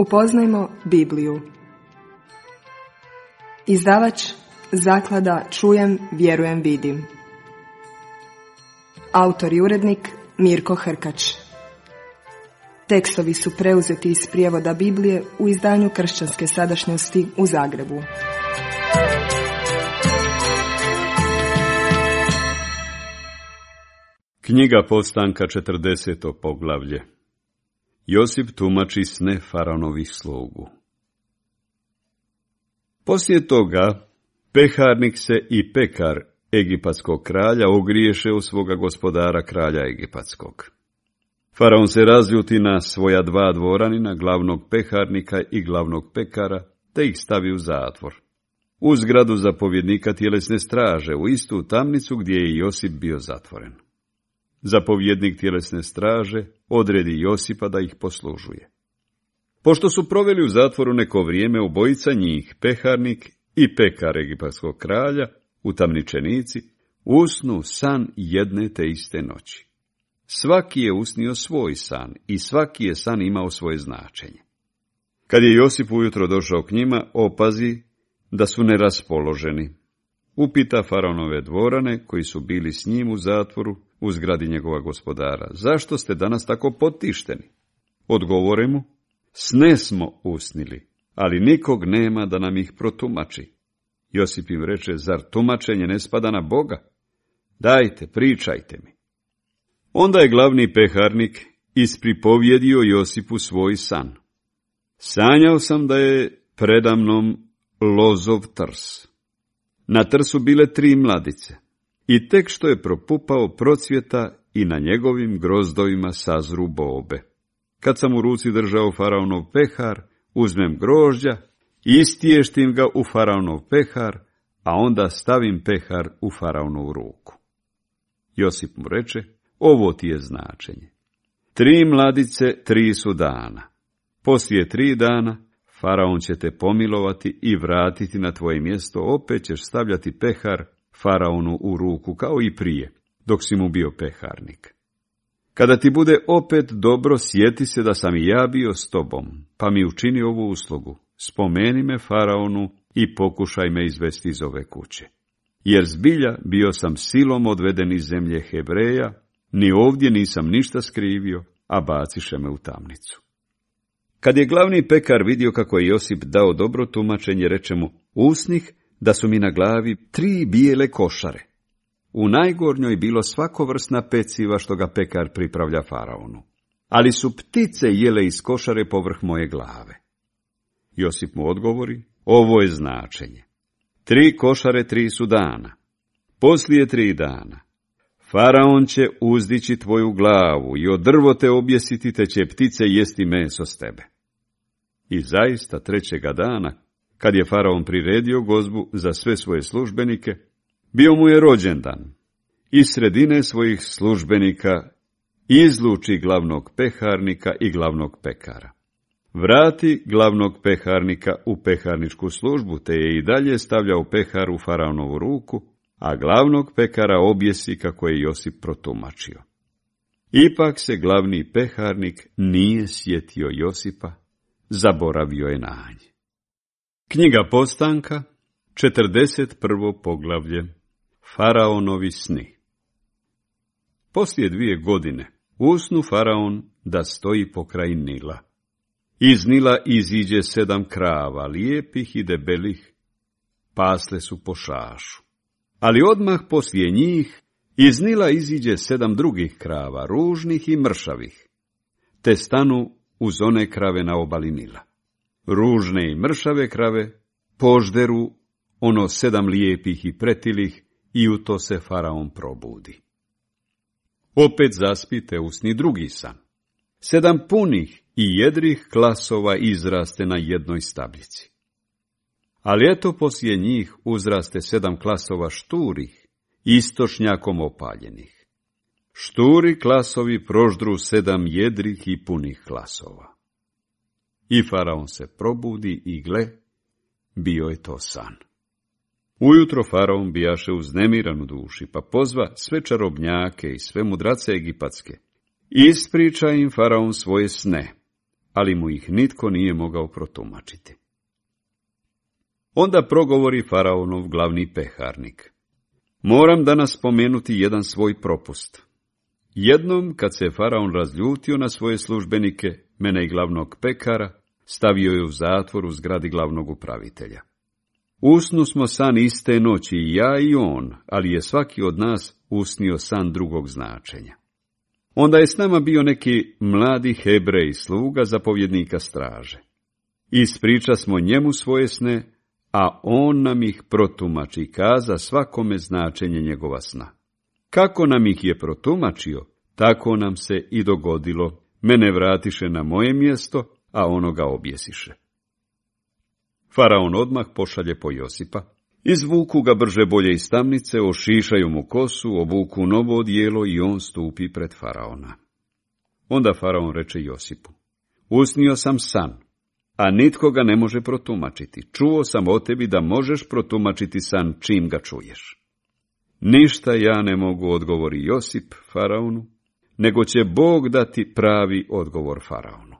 Upoznajmo Bibliju. Izdavač Zaklada Čujem, vjerujem, vidim. Autor i urednik Mirko Hrkač. Tekstovi su preuzeti iz prijevoda Biblije u izdanju Kršćanske sadašnjosti u Zagrebu. Knjiga Postanka, 40. poglavlje. Josip tumači sne faraonovih slugu. Poslije toga, peharnik se i pekar egipatskog kralja ogriješe u svoga gospodara kralja egipatskog. Faraon se razljuti na svoja dva dvoranina, glavnog peharnika i glavnog pekara, te ih stavi u zatvor. U zgradu zapovjednika tjelesne straže, u istu tamnicu gdje je Josip bio zatvoren. Zapovjednik tjelesne straže odredi Josipa da ih poslužuje. Pošto su proveli u zatvoru neko vrijeme, obojica njih, peharnik i pekar egipatskog kralja, utamničenici, usnu san jedne te iste noći. Svaki je usnio svoj san i svaki je san imao svoje značenje. Kad je Josip ujutro došao k njima, opazi da su neraspoloženi. Upita faraonove dvorane, koji su bili s njim u zatvoru, u zgradi njegova gospodara: zašto ste danas tako potišteni? Odgovore mu: sne smo usnili, ali nikog nema da nam ih protumači. Josip im reče: zar tumačenje ne spada na Boga? Dajte, pričajte mi. Onda je glavni peharnik ispripovjedio Josipu svoj san. Sanjao sam da je predamnom lozov trs. Na trsu bile 3 mladice i tek što je propupao procvjeta i na njegovim grozdovima sazru bobe. Kad sam u ruci držao faraonov pehar, uzmem grožđa, istještim ga u faraonov pehar, a onda stavim pehar u faraonovu ruku. Josip mu reče: ovo ti je značenje. 3 mladice 3 su dana. Poslije 3 dana faraon će te pomilovati i vratiti na tvoje mjesto, opet ćeš stavljati pehar faraonu u ruku kao i prije, dok si mu bio peharnik. Kada ti bude opet dobro, sjeti se da sam i ja bio s tobom, pa mi učini ovu uslugu: spomeni me faraonu i pokušaj me izvesti iz ove kuće. Jer zbilja bio sam silom odveden iz zemlje Hebreja, ni ovdje nisam ništa skrivio, a baciše me u tamnicu. Kad je glavni pekar vidio kako je Josip dao dobro tumačenje, reče mu: usnih da su mi na glavi 3 bijele košare. U najgornjoj bilo svakovrsna peciva što ga pekar pripravlja faraonu, ali su ptice jele iz košare povrh moje glave. Josip mu odgovori: ovo je značenje. 3 košare 3 su dana. Poslije 3 dana faraon će uzdići tvoju glavu i od drvo te objesiti, te će ptice jesti meso s tebe. I zaista 3. dana, kad je faraon priredio gozbu za sve svoje službenike, bio mu je rođendan. Iz sredine svojih službenika izluči glavnog peharnika i glavnog pekara. Vrati glavnog peharnika u peharničku službu, te je i dalje stavljao pehar u faraonovu ruku, a glavnog pekara objesi kako je Josip protumačio. Ipak se glavni peharnik nije sjetio Josipa, zaboravio je na nje. Knjiga Postanka, 41. poglavlje. Faraonovi sni. Poslije 2 godine usnu faraon da stoji pokraj Nila. Iz Nila iziđe 7 krava, lijepih i debelih, pasle su po šašu. Ali odmah poslije njih iz Nila iziđe 7 drugih krava, ružnih i mršavih, te stanu uz one krave na obali Nila. Ružne i mršave krave požderu ono 7 lijepih i pretilih i u to se faraon probudi. Opet zaspite usni drugi san. 7 punih i jedrih klasova izraste na jednoj stabljici. Ali eto poslije njih uzraste 7 klasova šturih, istočnjakom opaljenih. Šturi klasovi proždru 7 jedrih i punih klasova. I faraon se probudi i gle, bio je to san. Ujutro faraon bijaše uznemiran u duši, pa pozva sve čarobnjake i sve mudrace egipatske. Ispriča im faraon svoje sne, ali mu ih nitko nije mogao protumačiti. Onda progovori faraonov glavni peharnik. Moram danas spomenuti jedan svoj propust. Jednom, kad se faraon razljutio na svoje službenike, mene i glavnog pekara, stavio je u zatvor u zgradi glavnog upravitelja. Usnu smo san iste noći, i ja i on, ali je svaki od nas usnio san drugog značenja. Onda je s nama bio neki mladi Hebrej, sluga zapovjednika straže. Ispriča smo njemu svoje sne, a on nam ih protumači i kaza svakome značenje njegova sna. Kako nam ih je protumačio, tako nam se i dogodilo. Mene vratiše na moje mjesto, a onoga objesiše. Faraon odmah pošalje po Josipa. Izvuku ga brže bolje iz tamnice, ošišaju mu kosu, obuku novo odijelo i on stupi pred faraona. Onda faraon reče Josipu: usnio sam san, a nitko ga ne može protumačiti. Čuo sam o tebi da možeš protumačiti san čim ga čuješ. Ništa ja ne mogu, odgovori Josip faraonu, nego će Bog dati pravi odgovor faraonu.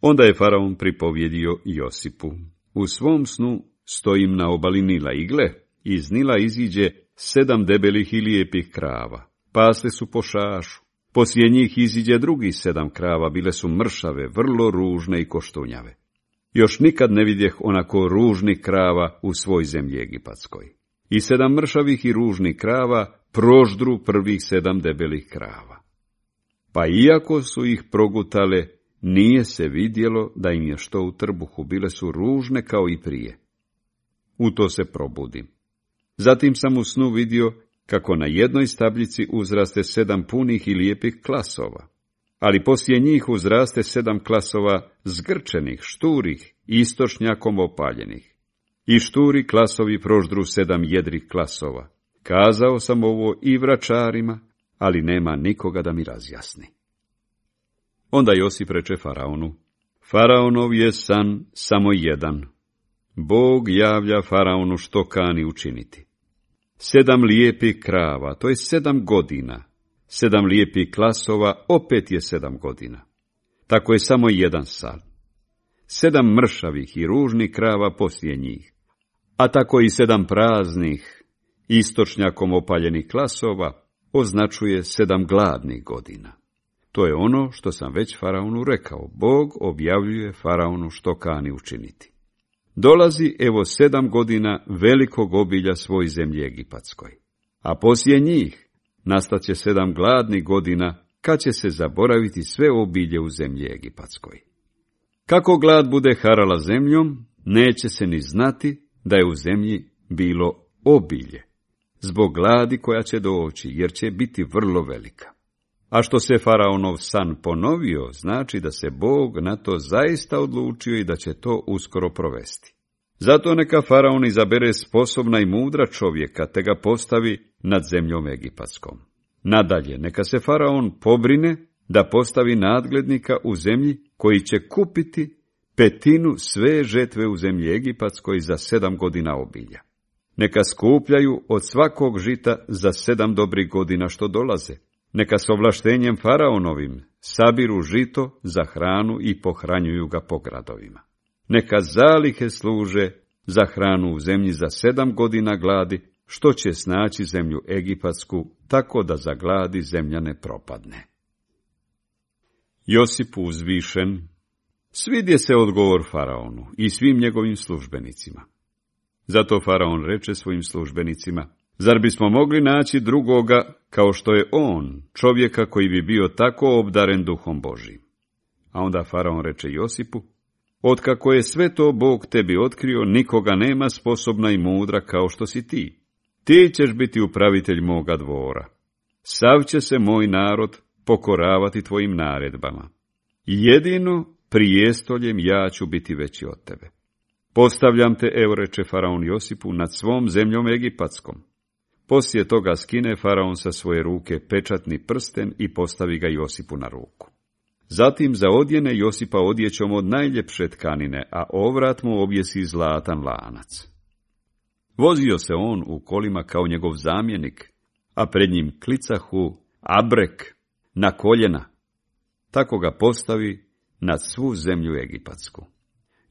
Onda je faraon pripovjedio Josipu: u svom snu stojim na obali Nila i gle, iz Nila iziđe 7 debelih i lijepih krava. Pasle su po šašu. Poslije njih iziđe drugih 7 krava, bile su mršave, vrlo ružne i koštunjave. Još nikad ne vidjeh onako ružnih krava u svoj zemlji egipatskoj. I 7 mršavih i ružnih krava proždru prvih 7 debelih krava. Pa iako su ih progutale, nije se vidjelo da im je što u trbuhu, bile su ružne kao i prije. U to se probudim. Zatim sam u snu vidio kako na jednoj stabljici uzraste 7 punih i lijepih klasova, ali poslije njih uzraste 7 klasova zgrčenih, šturih, istočnjakom opaljenih. I šturi klasovi proždru 7 jedrih klasova. Kazao sam ovo i vračarima, ali nema nikoga da mi razjasni. Onda Josip reče faraonu: faraonov je san samo jedan. Bog javlja faraonu što kani učiniti. 7 lijepih krava, to je 7 godina. 7 lijepih klasova, opet je 7 godina. Tako je samo jedan san. 7 mršavih i ružnih krava poslije njih. A tako i 7 praznih, istočnjakom opaljenih klasova, označuje 7 gladnih godina. To je ono što sam već faraonu rekao. Bog objavljuje faraonu što kani učiniti. Dolazi evo 7 godina velikog obilja svoj zemlji egipatskoj. A poslije njih nastaće 7 gladnih godina, kad će se zaboraviti sve obilje u zemlji egipatskoj. Kako glad bude harala zemljom, neće se ni znati da je u zemlji bilo obilje, zbog gladi koja će doći, jer će biti vrlo velika. A što se faraonov san ponovio, znači da se Bog na to zaista odlučio i da će to uskoro provesti. Zato neka faraon izabere sposobna i mudra čovjeka, te ga postavi nad zemljom egipatskom. Nadalje, neka se faraon pobrine da postavi nadglednika u zemlji koji će kupiti 1/5 sve žetve u zemlji egipatskoj za 7 godina obilja. Neka skupljaju od svakog žita za 7 dobrih godina što dolaze. Neka s ovlaštenjem faraonovim sabiru žito za hranu i pohranjuju ga po gradovima. Neka zalihe služe za hranu u zemlji za 7 godina gladi, što će snaći zemlju egipatsku, tako da za gladi zemlja ne propadne. Josip uzvišen svidje se odgovor faraonu i svim njegovim službenicima. Zato faraon reče svojim službenicima: zar bismo mogli naći drugoga kao što je on, čovjeka koji bi bio tako obdaren duhom Božijim? A onda faraon reče Josipu: otkako je sve to Bog tebi otkrio, nikoga nema sposobna i mudra kao što si ti. Ti ćeš biti upravitelj moga dvora. Sav će se moj narod pokoravati tvojim naredbama. Jedino prijestoljem ja ću biti veći od tebe. Postavljam te, evo reče faraon Josipu, nad svom zemljom egipatskom. Poslije toga skine faraon sa svoje ruke pečatni prsten i postavi ga Josipu na ruku. Zatim za odjene Josipa odjećom od najljepše tkanine, a ovrat mu objesi zlatan lanac. Vozio se on u kolima kao njegov zamjenik, a pred njim klicahu abrek na koljena. Tako ga postavi nad svu zemlju egipatsku.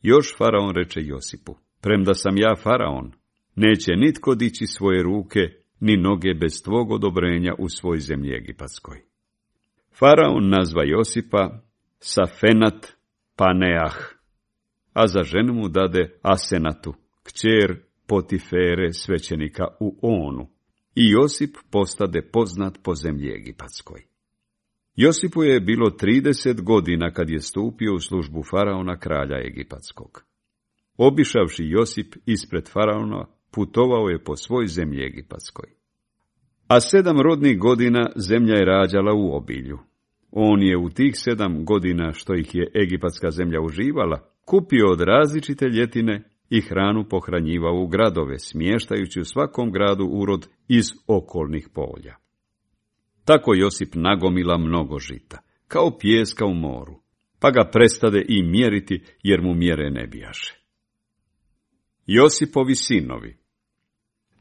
Još faraon reče Josipu, premda sam ja faraon, neće nitko dići svoje ruke ni noge bez tvog odobrenja u svoj zemlji egipatskoj. Faraon nazva Josipa Safenat Paneah, a za ženu mu dade Asenatu, kćer Potifere, svećenika u Onu, i Josip postade poznat po zemlji egipatskoj. Josipu je bilo 30 godina kad je stupio u službu faraona, kralja egipatskog. Obišavši Josip ispred faraona, putovao je po svoj zemlji egipatskoj. A 7 rodnih godina zemlja je rađala u obilju. On je u tih 7 godina što ih je egipatska zemlja uživala, kupio od različite ljetine i hranu pohranjivao u gradove, smještajući u svakom gradu urod iz okolnih polja. Tako Josip nagomila mnogo žita, kao pijeska u moru, pa ga prestade i mjeriti, jer mu mjere ne bijaše. Josipovi sinovi.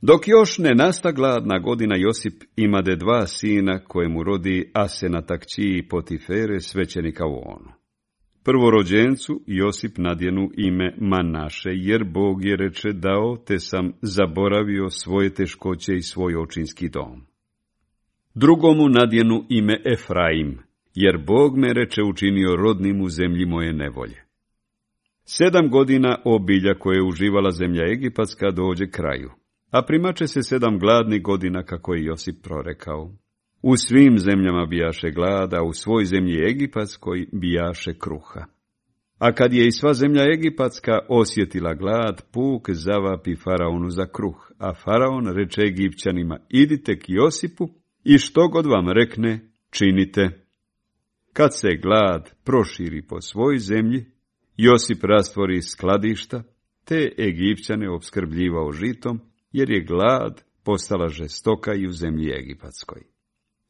Dok još ne nasta gladna godina, Josip imade 2 sina koje mu rodi Asenata, kći Potifere, svećenika u Onu. Prvorođencu Josip nadjenu ime Manaše, jer Bog je reče dao, te sam zaboravio svoje teškoće i svoj očinski dom. Drugomu nadjenu ime Efraim, jer Bog me reče učinio rodnim u zemlji moje nevolje. 7 godina obilja koje je uživala zemlja egipatska dođe kraju, a primače se 7 gladnih godina kako je Josip prorekao. U svim zemljama bijaše glada, u svoj zemlji egipatskoj bijaše kruha. A kad je i sva zemlja egipatska osjetila glad, puk zavapi faraonu za kruh, a faraon reče Egipćanima, idite k Josipu i što god vam rekne, činite. Kad se glad proširi po svoj zemlji, Josip rastvori skladišta, te Egipćane opskrbljivao žitom, jer je glad postala žestoka i u zemlji egipatskoj.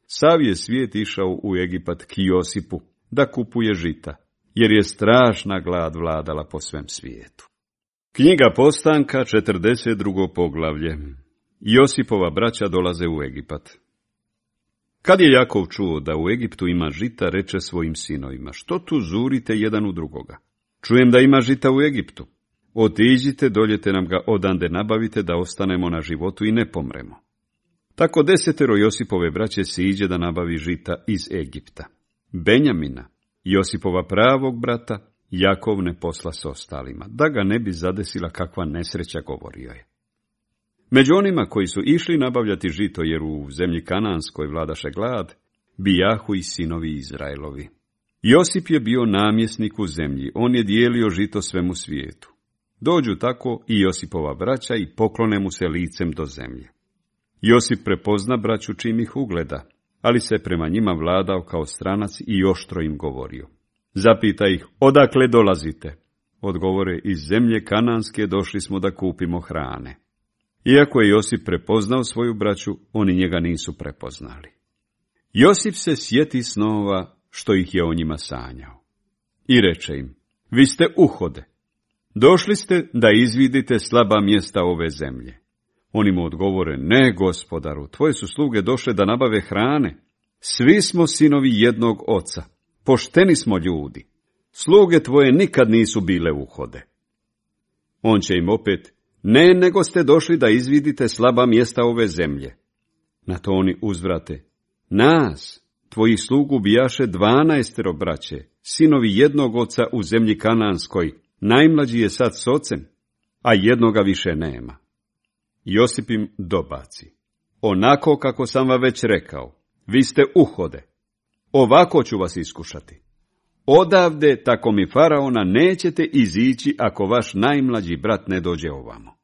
Sav je svijet išao u Egipat k Josipu da kupuje žita, jer je strašna glad vladala po svem svijetu. Knjiga Postanka, 42. poglavlje. Josipova braća dolaze u Egipat. Kad je Jakov čuo da u Egiptu ima žita, reče svojim sinovima, što tu zurite jedan u drugoga? Čujem da ima žita u Egiptu. Otiđite, doljete nam ga odande nabavite, da ostanemo na životu i ne pomremo. Tako 10 Josipove braće siđe da nabavi žita iz Egipta. Benjamina, Josipova pravog brata, Jakov ne posla s ostalima, da ga ne bi zadesila kakva nesreća, govorio je. Među onima koji su išli nabavljati žito, jer u zemlji Kananskoj vladaše glad, bijahu i sinovi Izraelovi. Josip je bio namjesnik u zemlji, on je dijelio žito svemu svijetu. Dođu tako i Josipova braća i poklone mu se licem do zemlje. Josip prepozna braću čim ih ugleda, ali se prema njima vladao kao stranac i oštro im govorio. Zapita ih, odakle dolazite? Odgovore, iz zemlje Kananske došli smo da kupimo hrane. Iako je Josip prepoznao svoju braću, oni njega nisu prepoznali. Josip se sjeti snova što ih je o njima sanjao. I reče im, vi ste uhode. Došli ste da izvidite slaba mjesta ove zemlje. Oni mu odgovore, ne, gospodaru, tvoje su sluge došle da nabave hrane. Svi smo sinovi jednog oca, pošteni smo ljudi. Sluge tvoje nikad nisu bile uhode. On će im opet, ne, nego ste došli da izvidite slaba mjesta ove zemlje. Na to oni uzvrate, nas, tvojih slugu bijaše 12 braće, sinovi jednog oca u zemlji Kananskoj, najmlađi je sad s ocem, a jednoga više nema. Josip im dobaci, onako kako sam vam već rekao, vi ste uhode, ovako ću vas iskušati. Odavde, tako mi faraona, nećete izići ako vaš najmlađi brat ne dođe ovamo.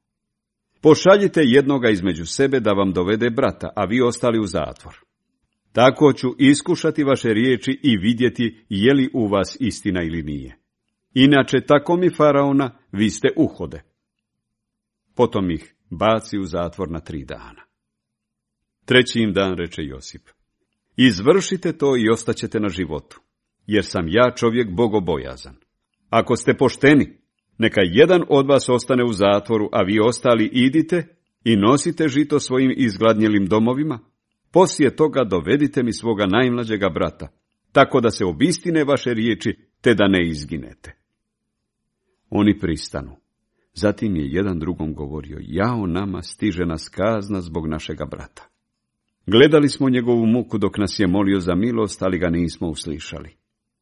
Pošaljite jednoga između sebe da vam dovede brata, a vi ostali u zatvor. Tako ću iskušati vaše riječi i vidjeti je li u vas istina ili nije. Inače, tako mi faraona, vi ste uhode. Potom ih baci u zatvor na 3 dana. 3. dan reče Josip, izvršite to i ostaćete na životu, jer sam ja čovjek bogobojazan. Ako ste pošteni, neka jedan od vas ostane u zatvoru, a vi ostali idite i nosite žito svojim izgladnjelim domovima, poslije toga dovedite mi svoga najmlađega brata, tako da se obistine vaše riječi te da ne izginete. Oni pristanu. Zatim je jedan drugom govorio, jao nama, stiže nas kazna zbog našega brata. Gledali smo njegovu muku dok nas je molio za milost, ali ga nismo uslišali.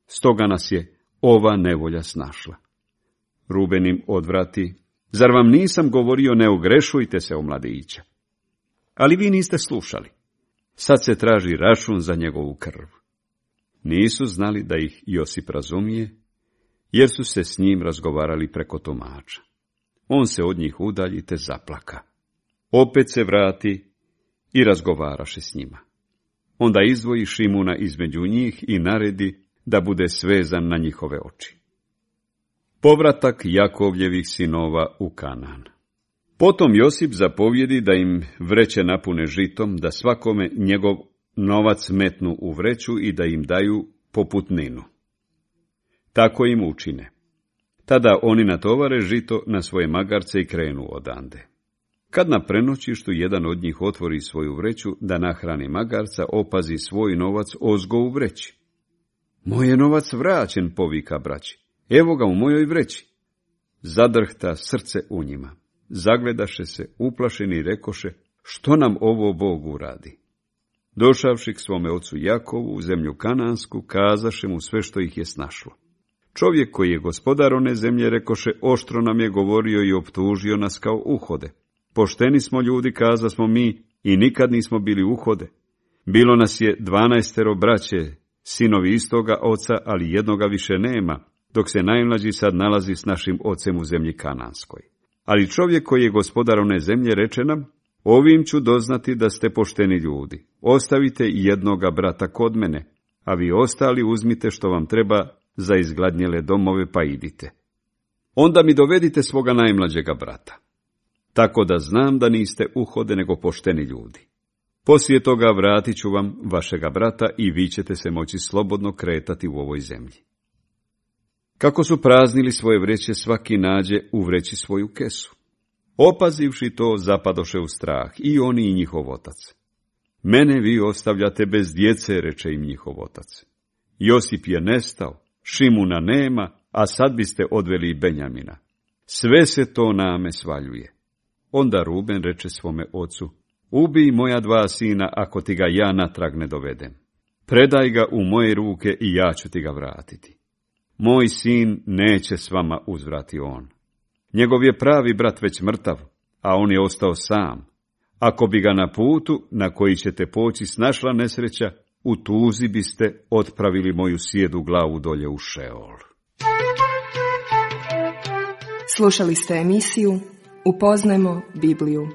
Stoga nas je ova nevolja snašla. Ruben im odvrati, zar vam nisam govorio ne ogrešujte se o mladića? Ali vi niste slušali. Sad se traži račun za njegovu krv. Nisu znali da ih Josip razumije, jer su se s njim razgovarali preko tumača. On se od njih udalji te zaplaka. Opet se vrati i razgovaraše s njima. Onda izdvoji Šimuna između njih i naredi da bude svezan na njihove oči. Povratak Jakovljevih sinova u Kanaan. Potom Josip zapovjedi da im vreće napune žitom, da svakome njegov novac metnu u vreću i da im daju poputninu. Tako im učine. Tada oni natovare žito na svoje magarce i krenu odande. Kad na prenoćištu jedan od njih otvori svoju vreću da nahrani magarca, opazi svoj novac ozgo u vreći. Moj je novac vraćen, povika braći. Evo ga u mojoj vreći. Zadrhta srce u njima. Zagledaše se, uplašeni i rekoše, što nam ovo Bog uradi? Došavši k svome ocu Jakovu u zemlju Kanansku, kazaše mu sve što ih je snašlo. Čovjek koji je gospodar one zemlje, rekoše, oštro nam je govorio i optužio nas kao uhode. Pošteni smo ljudi, kaza smo mi, i nikad nismo bili uhode. Bilo nas je 12 braće, sinovi istoga oca, ali jednoga više nema, dok se najmlađi sad nalazi s našim ocem u zemlji Kananskoj. Ali čovjek koji je gospodar one zemlje reče nam, ovim ću doznati da ste pošteni ljudi. Ostavite jednoga brata kod mene, a vi ostali uzmite što vam treba za izgladnjele domove, pa idite. Onda mi dovedite svoga najmlađega brata. Tako da znam da niste uhode nego pošteni ljudi. Poslije toga vratit ću vam vašega brata i vi ćete se moći slobodno kretati u ovoj zemlji. Kako su praznili svoje vreće, svaki nađe u vreći svoju kesu. Opazivši to, zapadoše u strah, i oni i njihov otac. Mene vi ostavljate bez djece, reče im njihov otac. Josip je nestao, Šimuna nema, a sad biste odveli i Benjamina. Sve se to name svaljuje. Onda Ruben reče svome ocu, ubij moja 2 sina ako ti ga ja natrag ne dovedem. Predaj ga u moje ruke i ja ću ti ga vratiti. Moj sin neće s vama, uzvrati on. Njegov je pravi brat već mrtav, a on je ostao sam. Ako bi ga na putu na koji ćete poći snašla nesreća, u tuzi biste otpravili moju sjedu glavu dolje u Šeol. Slušali ste emisiju Upoznajmo Bibliju.